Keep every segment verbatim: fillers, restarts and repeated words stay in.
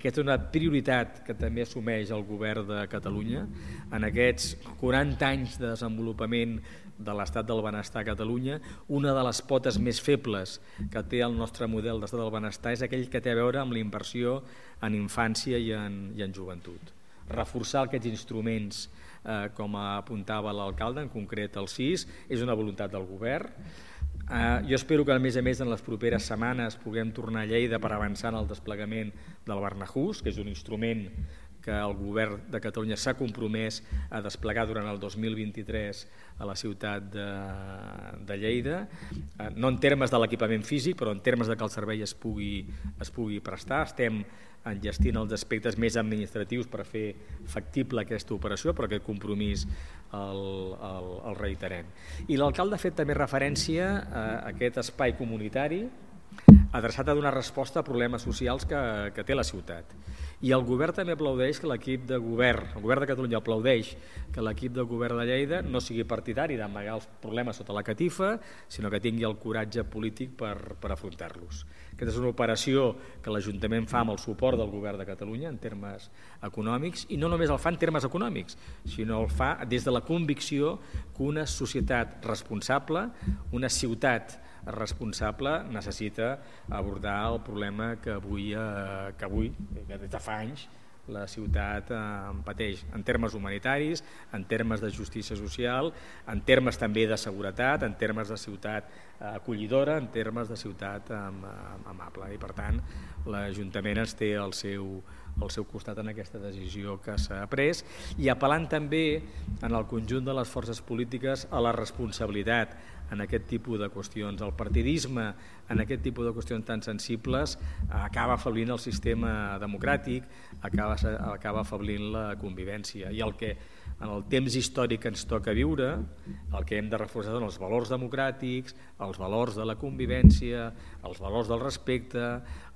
aquesta és una prioritat que també assumeix el govern de Catalunya. En aquests quaranta anys de desenvolupament de l'estat del benestar a Catalunya, una de les potes més febles que té el nostre model d'estat del benestar és aquell que té a veure amb la inversió en infància i en, i en joventut. Reforçar aquests instruments, eh, com apuntava l'alcalde, en concret el sis, és una voluntat del govern. Eh, jo espero que a més a més en les properes setmanes puguem tornar a Lleida per avançar en el desplegament del Barnahus, que és un instrument que el govern de Catalunya s'ha compromès a desplegar durant el dos mil vint-i-tres a la ciutat de, de Lleida, eh, no en termes de l'equipament físic, però en termes de que el servei es pugui, es pugui prestar. Estem enllestint els aspectes més administratius per fer factible aquesta operació, però aquest compromís el, el, el reiterem. I l'alcalde ha fet també referència a aquest espai comunitari adreçat a donar resposta a problemes socials que, que té la ciutat. I el govern també aplaudeix que l'equip de govern, el govern de Catalunya aplaudeix que l'equip de govern de Lleida no sigui partidari d'amagar els problemes sota la catifa, sinó que tingui el coratge polític per, per afrontar-los. Aquesta és una operació que l'Ajuntament fa amb el suport del govern de Catalunya en termes econòmics, i no només el fa en termes econòmics, sinó el fa des de la convicció que una societat responsable, una ciutat responsable, necessita abordar el problema que avui, eh, que avui, que des de fa anys, la ciutat eh, pateix en termes humanitaris, en termes de justícia social, en termes també de seguretat, en termes de ciutat eh, acollidora, en termes de ciutat eh, amable. I per tant, l'Ajuntament es té al seu, al seu costat en aquesta decisió que s'ha pres, i apel·lant també en el conjunt de les forces polítiques a la responsabilitat en aquest tipus de qüestions. El partidisme en aquest tipus de qüestions tan sensibles acaba afeblint el sistema democràtic, acaba, acaba afeblint la convivència, i el que en el temps històric que ens toca viure, el que hem de reforçar són els valors democràtics, els valors de la convivència, els valors del respecte,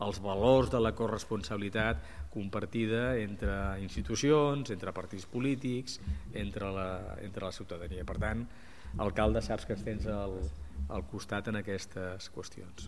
els valors de la corresponsabilitat compartida entre institucions, entre partits polítics, entre la, entre la ciutadania. Per tant, alcalde, saps que ens tens al, al costat en aquestes qüestions.